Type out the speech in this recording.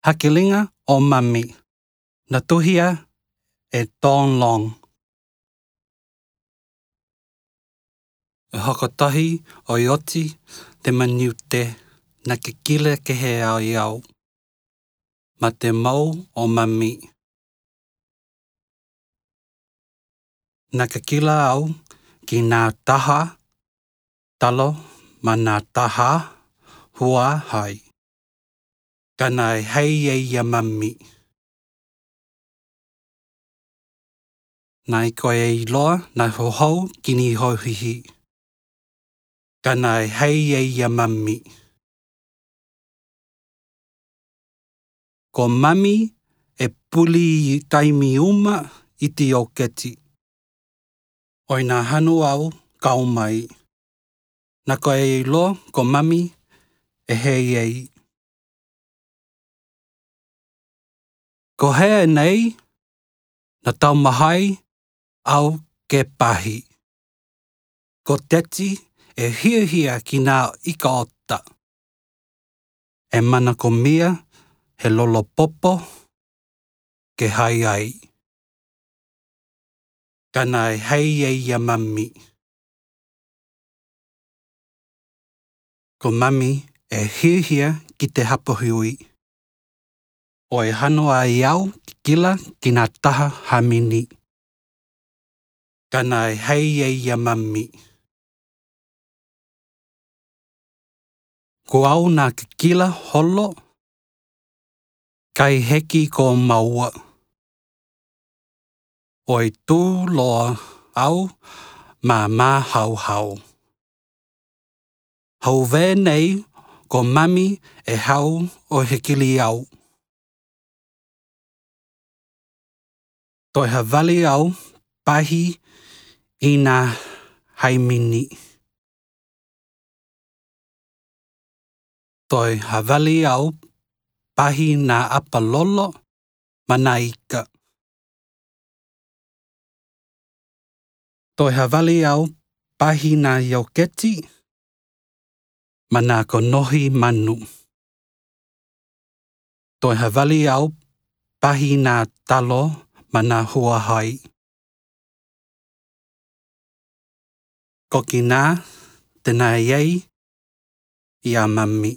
Hakilinga o Mami, na tuhia e Don Long. E hakatahi o ioti te maniute na kikile ke he au iau. Ma te mau o Mami. Na kikila au ki nā taha talo ma nā taha hua hai. Kana e hei e ia Mami. Na i koe e iloa na hohou kini hauhihi. Kana e hei e ia Mami. Ko Mami e puli i taimi uma i te ioketi. Oi nā hanu au kau mai. Na koe e iloa ko Mami e hei ei. Ko hea nei, na taumahai au ke pahi. Ko teti e hiahia ki nā ika ota. E mana ko mia he lolo popo ke hai ai. Kana e hei e ia Mami. Ko Mami e hiahia ki te hapahui. O e hano ai au kikila ki nā taha hamini. Kana e hei e ia Mami. Ko au nā kikila holo, kai heki ko maua. Oi tū loa au ma māhauhau. Hau vē nei ko Mami e hau o hekili au. Toi havali au pahi i nā haimini. Toi havali au pahi nā apalolo ma nā ika. Toi havali au pahi nā ioketi ma nā konohi manu. Toi havali au pahi nā talo ma nā hua hai. Ko ki nā, tēnā iei, i a Mami.